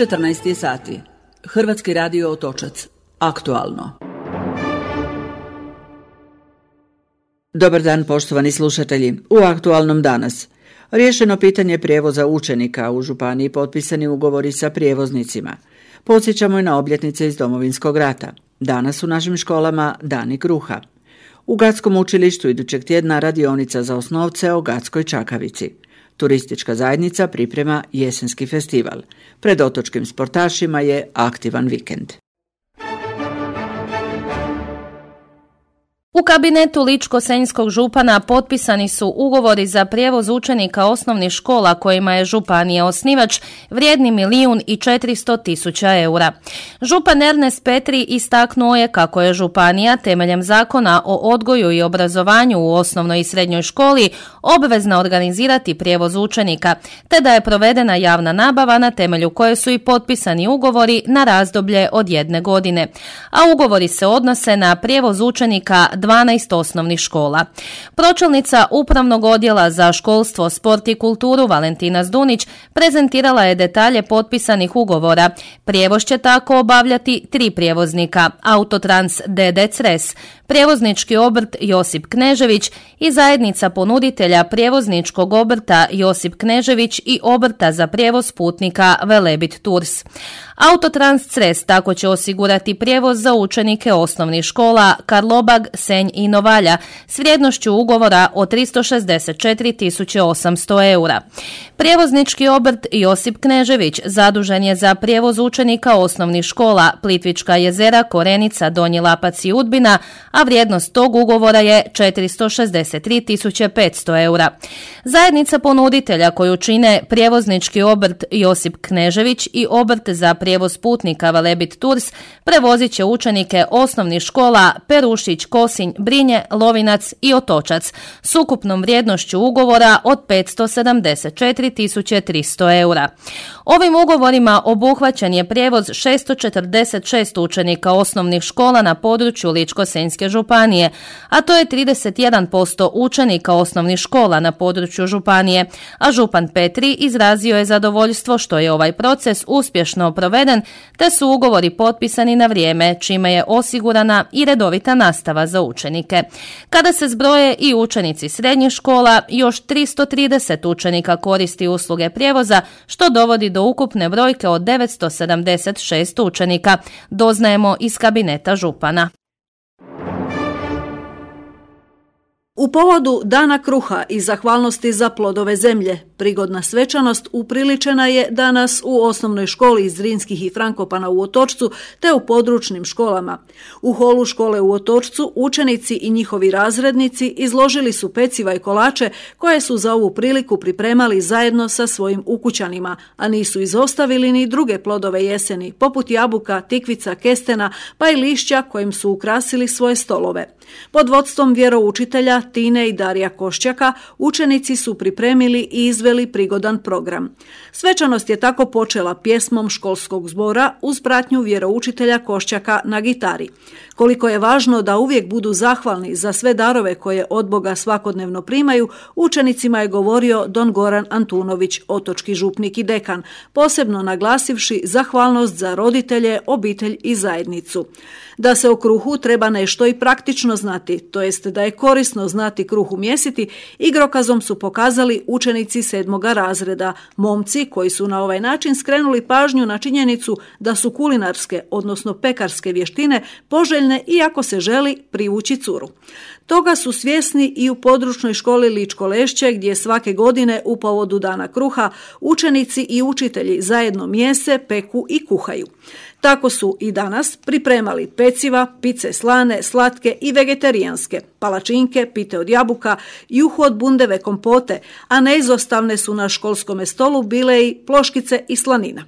14 sati. Hrvatski radio Otočac. Aktualno. Dobar dan, poštovani slušatelji. U aktualnom danas. Riješeno pitanje prijevoza učenika, u županiji potpisani ugovori sa prijevoznicima. Podsjećamo i na obljetnice iz Domovinskog rata. Danas u našim školama Dani kruha. U Gatskom učilištu idućeg tjedna radionica za osnovce o Gatskoj čakavici. Turistička zajednica priprema jesenski festival. Pred otočkim sportašima je aktivan vikend. U kabinetu ličko-senjskog župana potpisani su ugovori za prijevoz učenika osnovnih škola kojima je županija osnivač, vrijedni 1.400.000 eura. Župan Ernest Petri istaknuo je kako je županija temeljem zakona o odgoju i obrazovanju u osnovnoj i srednjoj školi obvezna organizirati prijevoz učenika, te da je provedena javna nabava na temelju koje su i potpisani ugovori na razdoblje od 1 godine. A ugovori se odnose na prijevoz učenika 12 osnovnih škola. Pročelnica Upravnog odjela za školstvo, sport i kulturu Valentina Zdunić prezentirala je detalje potpisanih ugovora. Prijevoz će tako obavljati 3 prijevoznika: Autotrans d.d. Cres, prijevoznički obrt Josip Knežević i zajednica ponuditelja prijevozničkog obrta Josip Knežević i obrta za prijevoz putnika Velebit Tours. Autotrans Cres tako će osigurati prijevoz za učenike osnovnih škola Karlobag, Senj i Novalja s vrijednošću ugovora od 364.800 eura. Prijevoznički obrt Josip Knežević zadužen je za prijevoz učenika osnovnih škola Plitvička jezera, Korenica, Donji Lapac i Udbina, a vrijednost tog ugovora je 463.500 eura. Zajednica ponuditelja koju čine prijevoznički obrt Josip Knežević i obrt za prijevoz putnika Velebit Tours prevozit će učenike osnovnih škola Perušić, Kosinj, Brinje, Lovinac i Otočac s ukupnom vrijednošću ugovora od 574.300 eura. Ovim ugovorima obuhvaćen je prijevoz 646 učenika osnovnih škola na području Ličko-senjske županije, a to je 31% učenika osnovnih škola na području županije, a župan Petri izrazio je zadovoljstvo što je ovaj proces uspješno proveden, te su ugovori potpisani na vrijeme, čime je osigurana i redovita nastava za učenike. Kada se zbroje i učenici srednjih škola, još 330 učenika koristi usluge prijevoza, što dovodi do ukupne brojke od 976 učenika, doznajemo iz kabineta župana. U povodu Dana kruha i zahvalnosti za plodove zemlje, prigodna svečanost upriličena je danas u osnovnoj školi iz Zrinskih i Frankopana u Otočcu te u područnim školama. U holu škole u Otočcu učenici i njihovi razrednici izložili su peciva i kolače koje su za ovu priliku pripremali zajedno sa svojim ukućanima, a nisu izostavili ni druge plodove jeseni, poput jabuka, tikvica, kestena pa i lišća kojim su ukrasili svoje stolove. Pod vodstvom vjeroučitelja Tine i Darija Košćaka učenici su pripremili i izveli prigodan program. Svečanost je tako počela pjesmom školskog zbora uz pratnju vjeroučitelja Košćaka na gitari. Koliko je važno da uvijek budu zahvalni za sve darove koje od Boga svakodnevno primaju, učenicima je govorio don Goran Antunović, otočki župnik i dekan, posebno naglasivši zahvalnost za roditelje, obitelj i zajednicu. Da se o kruhu treba nešto i praktično znati, to jest da je korisno znati kruh umjesiti, igrokazom su pokazali učenici 7. razreda, momci koji su na ovaj način skrenuli pažnju na činjenicu da su kulinarske, odnosno pekarske vještine poželjne iako se želi privući curu. Toga su svjesni i u područnoj školi Ličko Lešće, gdje svake godine u povodu Dana kruha učenici i učitelji zajedno mijese, peku i kuhaju. Tako su i danas pripremali peciva, pice slane, slatke i vegetarijanske, palačinke, pite od jabuka, juhu od bundeve, kompote, a neizostavne su na školskome stolu bile i ploškice i slanina.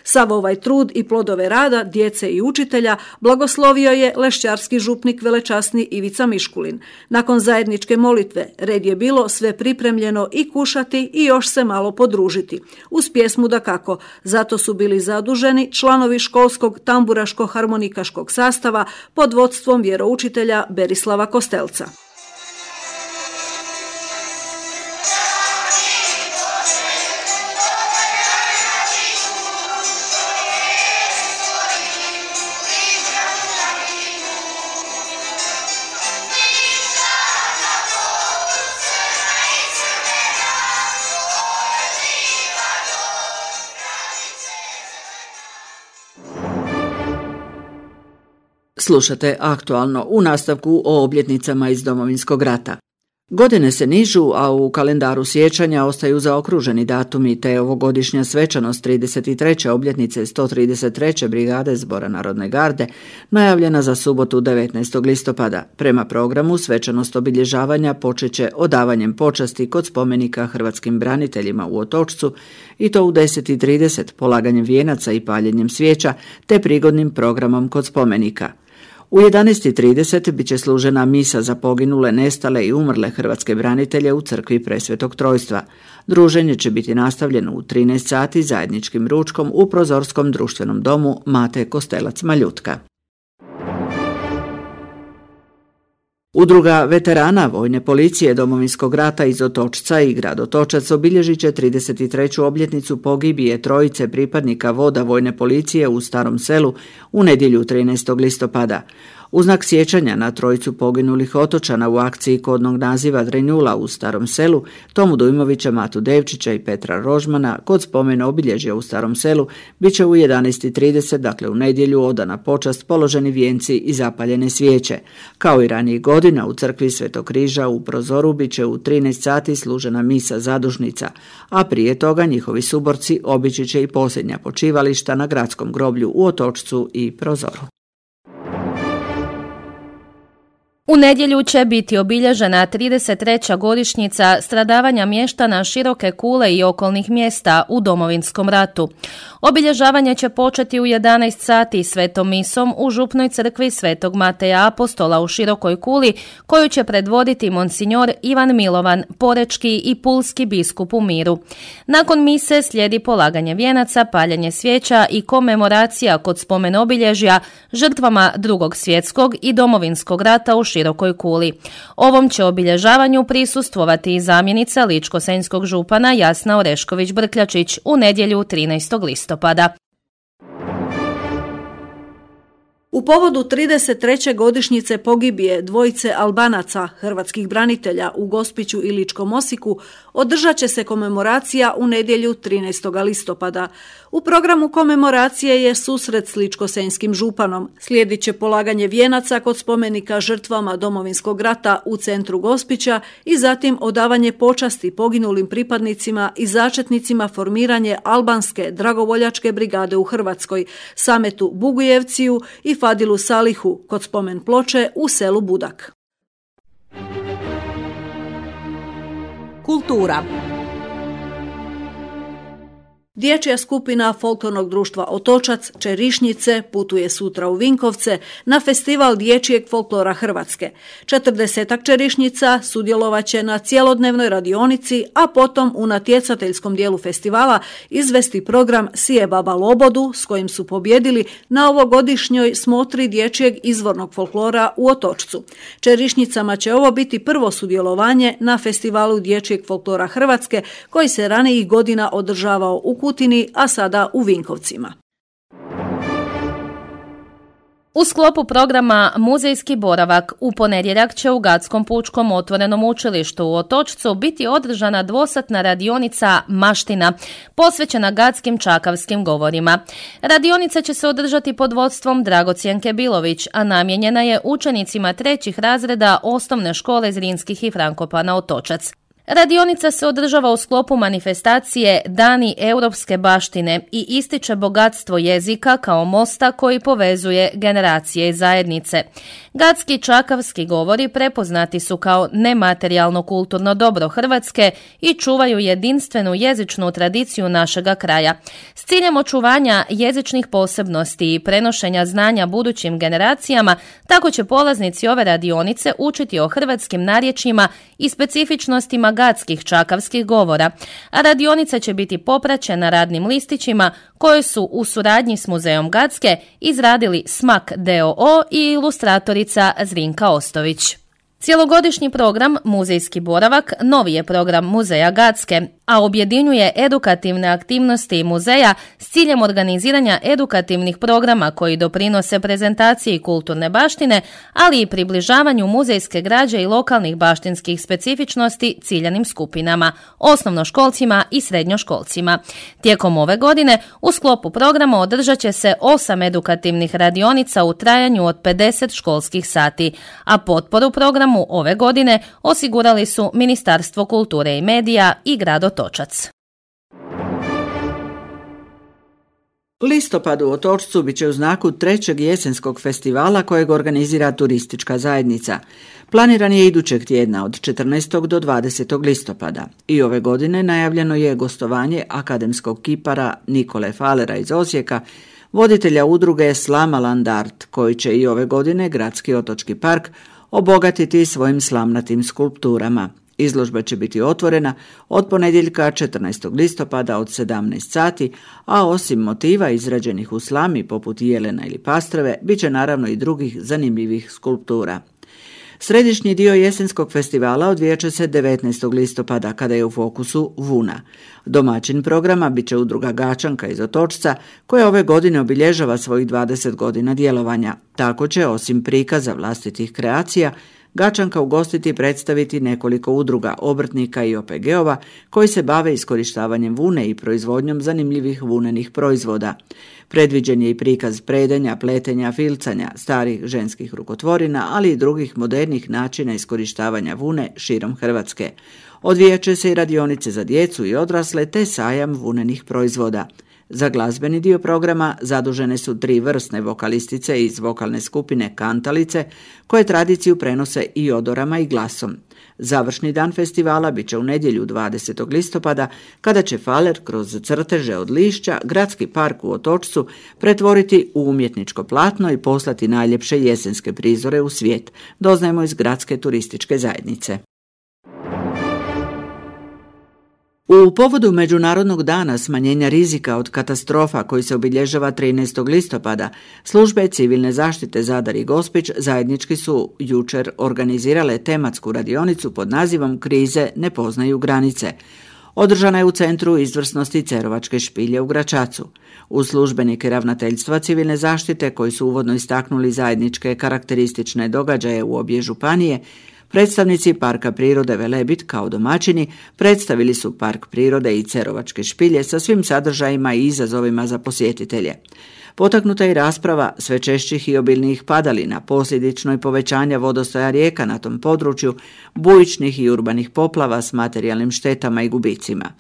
Sav ovaj trud i plodove rada djece i učitelja blagoslovio je lešćarski župnik velečasni Ivica Miškulin. Nakon zajedničke molitve red je bilo sve pripremljeno i kušati i još se malo podružiti. Uz pjesmu dakako, zato su bili zaduženi članovi školskog tamburaško-harmonikaškog sastava pod vodstvom vjeroučitelja Berislava Kostelca. Slušate Aktualno u nastavku o obljetnicama iz Domovinskog rata. Godine se nižu, a u kalendaru sjećanja ostaju zaokruženi datumi te ovogodišnja svečanost 33. obljetnice 133. brigade Zbora Narodne garde najavljena za subotu 19. listopada. Prema programu svečanost obilježavanja počeće odavanjem počasti kod spomenika hrvatskim braniteljima u Otočcu i to u 10:30 polaganjem vijenaca i paljenjem svijeća te prigodnim programom kod spomenika. U 11:30 bit će služena misa za poginule, nestale i umrle hrvatske branitelje u crkvi Presvetog Trojstva. Druženje će biti nastavljeno u 13 sati zajedničkim ručkom u Prozorskom društvenom domu Mate Kostelac Maljutka. Udruga veterana Vojne policije Domovinskog rata iz Otočca i grad Otočac obilježit će 33. obljetnicu pogibije trojice pripadnika voda Vojne policije u Starom Selu u nedjelju 13. listopada. U znak sjećanja na trojicu poginulih otočana u akciji kodnog naziva Drenjula u Starom Selu, Tomu Dujmovića, Matu Devčića i Petra Rožmana, kod spomen obilježja u Starom Selu, bit će u 11:30, dakle u nedjelju, odana počast, položeni vijenci i zapaljene svijeće. Kao i ranijih godina u crkvi Svetog Križa u Prozoru bit će u 13 sati služena misa zadušnica, a prije toga njihovi suborci obići će i posljednja počivališta na gradskom groblju u Otočcu i Prozoru. U nedjelju će biti obilježena 33. godišnjica stradavanja mještana Široke Kule i okolnih mjesta u Domovinskom ratu. Obilježavanje će početi u 11 sati svetom misom u župnoj crkvi Svetog Mateja Apostola u Širokoj Kuli, koju će predvoditi monsinjor Ivan Milovan, porečki i pulski biskup u Miru. Nakon mise slijedi polaganje vijenaca, paljenje svijeća i komemoracija kod spomen obilježja žrtvama Drugog svjetskog i Domovinskog rata u Širokoj Kuli. Ovom će obilježavanju prisustvovati i zamjenica ličko-senjskog župana Jasna Orešković-Brkljačić u nedjelju 13. listopada. U povodu 33. godišnjice pogibije dvojice Albanaca, hrvatskih branitelja u Gospiću i Ličkom Osijeku, održat će se komemoracija u nedjelju 13. listopada. U programu komemoracije je susret s ličko-senjskim županom. Slijedit će polaganje vijenaca kod spomenika žrtvama Domovinskog rata u centru Gospića i zatim odavanje počasti poginulim pripadnicima i začetnicima formiranje albanske dragovoljačke brigade u Hrvatskoj, Sametu Bugujevciju i Fadilu Salihu kod spomen ploče u selu Budak. Kultura. Dječja skupina folklornog društva Otočac Čerišnice putuje sutra u Vinkovce na festival dječjeg folklora Hrvatske. 40 čerišnica sudjelovat će na cjelodnevnoj radionici, a potom u natjecateljskom dijelu festivala izvesti program Sije baba lobodu, s kojim su pobjedili na ovogodišnjoj smotri dječjeg izvornog folklora u Otočcu. Čerišnicama će ovo biti prvo sudjelovanje na festivalu dječjeg folklora Hrvatske, koji se ranijih godina održavao u Kutini, a sada u Vinkovcima. U sklopu programa Muzejski boravak u ponedjeljak će u Gadskom pučkom otvorenom učilištu u Otočcu biti održana dvosatna radionica Maština, posvećena gadskim čakavskim govorima. Radionica će se održati pod vodstvom Dragocjenke Bilović, a namijenjena je učenicima 3. razreda osnovne škole Zrinskih i Frankopana Otočac. Radionica se održava u sklopu manifestacije Dani europske baštine i ističe bogatstvo jezika kao mosta koji povezuje generacije i zajednice. Gadski čakavski govori prepoznati su kao nematerijalno kulturno dobro Hrvatske i čuvaju jedinstvenu jezičnu tradiciju našega kraja. S ciljem očuvanja jezičnih posebnosti i prenošenja znanja budućim generacijama, tako će polaznici ove radionice učiti o hrvatskim narječjima i specifičnostima gadskih čakavskih govora, a radionica će biti popraćena radnim listićima koje su u suradnji s Muzejom Gadske izradili Smak d.o.o. i ilustratorica Zrinka Ostović. Cijelogodišnji program Muzejski boravak novi je program Muzeja Gadske a objedinjuje edukativne aktivnosti muzeja s ciljem organiziranja edukativnih programa koji doprinose prezentaciji kulturne baštine, ali i približavanju muzejske građe i lokalnih baštinskih specifičnosti ciljanim skupinama, osnovnoškolcima i srednjoškolcima. Tijekom ove godine u sklopu programa održat će se 8 edukativnih radionica u trajanju od 50 školskih sati, a potporu programu ove godine osigurali su Ministarstvo kulture i medija i grad Otočac. Listopad u Otočcu bit će u znaku 3. jesenskog festivala kojeg organizira turistička zajednica. Planiran je idućeg tjedna od 14. do 20. listopada i ove godine najavljeno je gostovanje akademskog kipara Nikole Falera iz Osijeka, voditelja udruge Slamaland Art, koji će i ove godine Gradski otočki park obogatiti svojim slamnatim skulpturama. Izložba će biti otvorena od ponedjeljka 14. listopada od 17 sati, a osim motiva izrađenih u slami poput jelena ili pastrve, bit će naravno i drugih zanimljivih skulptura. Središnji dio jesenskog festivala odvijat će se 19. listopada kada je u fokusu vuna. Domaćin programa bit će udruga Gačanka iz Otočca koja ove godine obilježava svojih 20 godina djelovanja. Tako će osim prikaza vlastitih kreacija Gačanka ugostiti i predstaviti nekoliko udruga, obrtnika i OPG-ova koji se bave iskorištavanjem vune i proizvodnjom zanimljivih vunenih proizvoda. Predviđen je i prikaz predenja, pletenja, filcanja, starih ženskih rukotvorina, ali i drugih modernih načina iskorištavanja vune širom Hrvatske. Odvijat će se i radionice za djecu i odrasle te sajam vunenih proizvoda. Za glazbeni dio programa zadužene su 3 vrsne vokalistice iz vokalne skupine Kantalice, koje tradiciju prenose i odorama i glasom. Završni dan festivala bit će u nedjelju 20. listopada, kada će Faler kroz crteže od lišća Gradski park u Otočcu pretvoriti u umjetničko platno i poslati najljepše jesenske prizore u svijet, doznajemo iz Gradske turističke zajednice. U povodu Međunarodnog dana smanjenja rizika od katastrofa koji se obilježava 13. listopada, službe civilne zaštite Zadar i Gospić zajednički su jučer organizirale tematsku radionicu pod nazivom Krize ne poznaju granice. Održana je u Centru izvrsnosti Cerovačke špilje u Gračacu. Uz službenike ravnateljstva civilne zaštite koji su uvodno istaknuli zajedničke karakteristične događaje u obje županije, predstavnici Parka prirode Velebit kao domaćini predstavili su Park prirode i Cerovačke špilje sa svim sadržajima i izazovima za posjetitelje. Potaknuta je i rasprava sve češćih i obilnijih padalina, posljedično i povećanja vodostaja rijeka na tom području, bujičnih i urbanih poplava s materijalnim štetama i gubicima.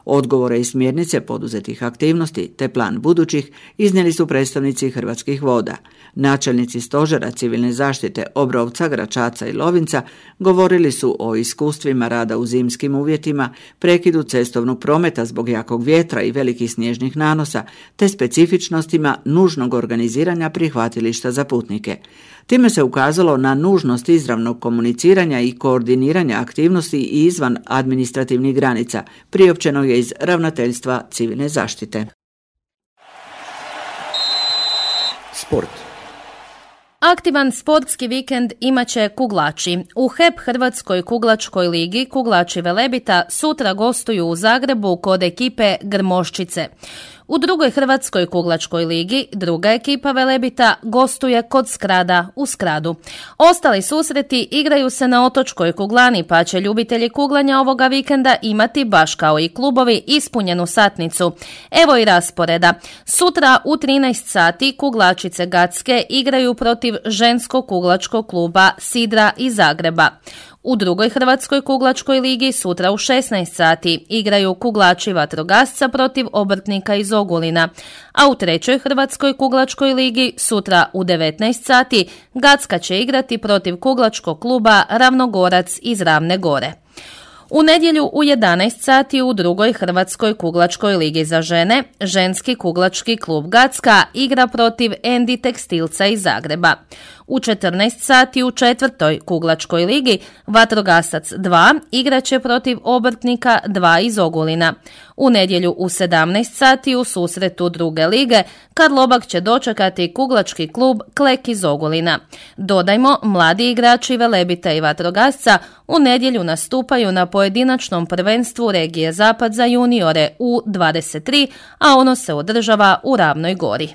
Odgovore i smjernice poduzetih aktivnosti te plan budućih iznijeli su predstavnici Hrvatskih voda. Načelnici stožera civilne zaštite Obrovca, Gračaca i Lovinca govorili su o iskustvima rada u zimskim uvjetima, prekidu cestovnog prometa zbog jakog vjetra i velikih snježnih nanosa, te specifičnostima nužnog organiziranja prihvatilišta za putnike. Time se ukazalo na nužnost izravnog komuniciranja i koordiniranja aktivnosti i izvan administrativnih granica, priopćeno je iz Ravnateljstva civilne zaštite. Sport. Aktivan sportski vikend imaće kuglači. U HEP Hrvatskoj kuglačkoj ligi kuglači Velebita sutra gostuju u Zagrebu kod ekipe Grmoščice. U drugoj Hrvatskoj kuglačkoj ligi druga ekipa Velebita gostuje kod Skrada u Skradu. Ostali susreti igraju se na Otočkoj kuglani, pa će ljubitelji kuglanja ovoga vikenda imati baš kao i klubovi ispunjenu satnicu. Evo i rasporeda. Sutra u 13 sati kuglačice Gatske igraju protiv ženskog kuglačkog kluba Sidra iz Zagreba. U drugoj Hrvatskoj kuglačkoj ligi sutra u 16 sati igraju kuglači Vatrogasca protiv obrtnika iz Ogulina, a u trećoj Hrvatskoj kuglačkoj ligi sutra u 19 sati Gatska će igrati protiv kuglačkog kluba Ravnogorac iz Ravne Gore. U nedjelju u 11 sati u drugoj Hrvatskoj kuglačkoj ligi za žene ženski kuglački klub Gatska igra protiv Endi Tekstilca iz Zagreba. U 14 sati u 4. kuglačkoj ligi Vatrogasac 2 igraće protiv Obrtnika 2 iz Ogulina. U nedjelju u 17 sati u susretu druge lige Karlobag će dočekati kuglački klub Klek iz Ogulina. Dodajmo, mladi igrači Velebita i Vatrogasca u nedjelju nastupaju na pojedinačnom prvenstvu regije Zapad za juniore U23, a ono se održava u Ravnoj Gori.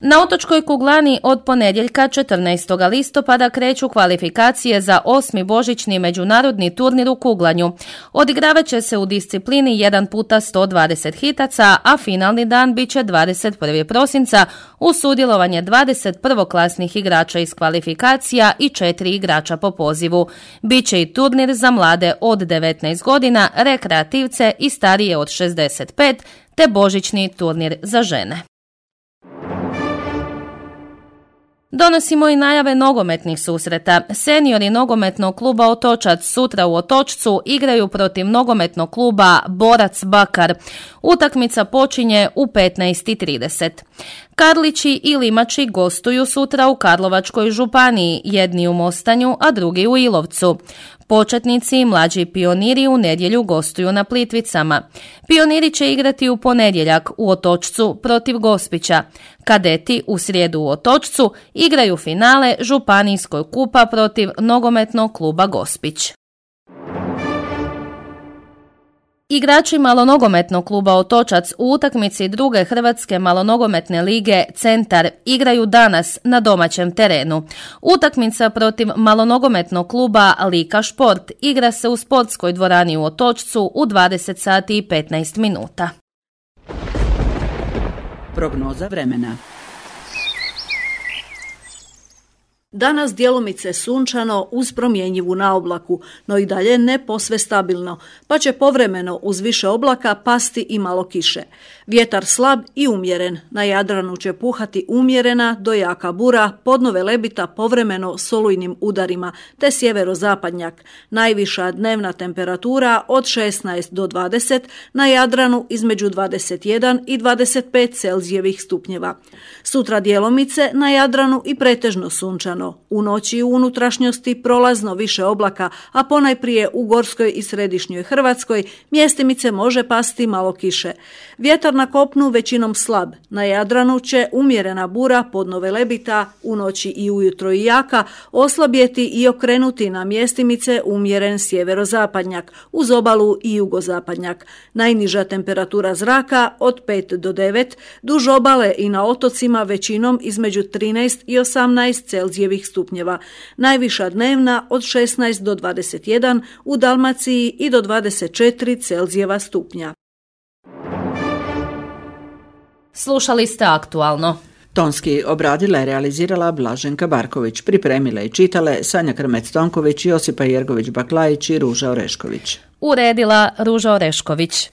Na otočkoj kuglani od ponedjeljka 14. listopada kreću kvalifikacije za 8. božićni međunarodni turnir u kuglanju. Odigravat će se u disciplini 1x120 hitaca, a finalni dan bit će 21. prosinca uz sudjelovanje 21. klasnih igrača iz kvalifikacija i 4 igrača po pozivu. Biće i turnir za mlade od 19 godina, rekreativce i starije od 65, te božićni turnir za žene. Donosimo i najave nogometnih susreta. Seniori nogometnog kluba Otočac sutra u Otočcu igraju protiv nogometnog kluba Borac Bakar. Utakmica počinje u 15:30. Karlići i Limači gostuju sutra u Karlovačkoj županiji, jedni u Mostanju, a drugi u Ilovcu. Početnici i mlađi Pioniri u nedjelju gostuju na Plitvicama. Pioniri će igrati u ponedjeljak u Otočcu protiv Gospića. Kadeti u srijedu u Otočcu igraju finale Županijskog kupa protiv nogometnog kluba Gospić. Igrači malonogometnog kluba Otočac u utakmici druge Hrvatske malonogometne lige Centar igraju danas na domaćem terenu. Utakmica protiv malonogometnog kluba Lika Šport igra se u sportskoj dvorani u Otočcu u 20 sati i 15 minuta. Prognoza vremena. Danas djelomice sunčano uz promjenjivu naoblaku, no i dalje ne posve stabilno, pa će povremeno uz više oblaka pasti i malo kiše. Vjetar slab i umjeren, na Jadranu će puhati umjerena do jaka bura, podno Velebita povremeno s olujnim udarima, te sjeverozapadnjak. Najviša dnevna temperatura od 16 do 20, na Jadranu između 21 i 25 Celzijevih stupnjeva. Sutra djelomice na Jadranu i pretežno sunčano. U noći i u unutrašnjosti prolazno više oblaka, a ponajprije u Gorskoj i Središnjoj Hrvatskoj mjestimice može pasti malo kiše. Vjetar na kopnu većinom slab. Na Jadranu će umjerena bura podno Velebita, u noći i ujutro i jaka, oslabjeti i okrenuti na mjestimice umjeren sjeverozapadnjak, uz obalu i jugozapadnjak. Najniža temperatura zraka od 5 do 9, duž obale i na otocima većinom između 13 i 18 Celzijevih stupnjeva. Najviša dnevna od 16 do 21, u Dalmaciji i do 24 Celzijeva stupnja. Slušali ste Aktualno. Tonski obradila i realizirala Blaženka Barković, pripremile i čitale Sanja Krmec-Tonković, Josipa Jergović-Baklajić i Ruža Orešković. Uredila Ruža Orešković.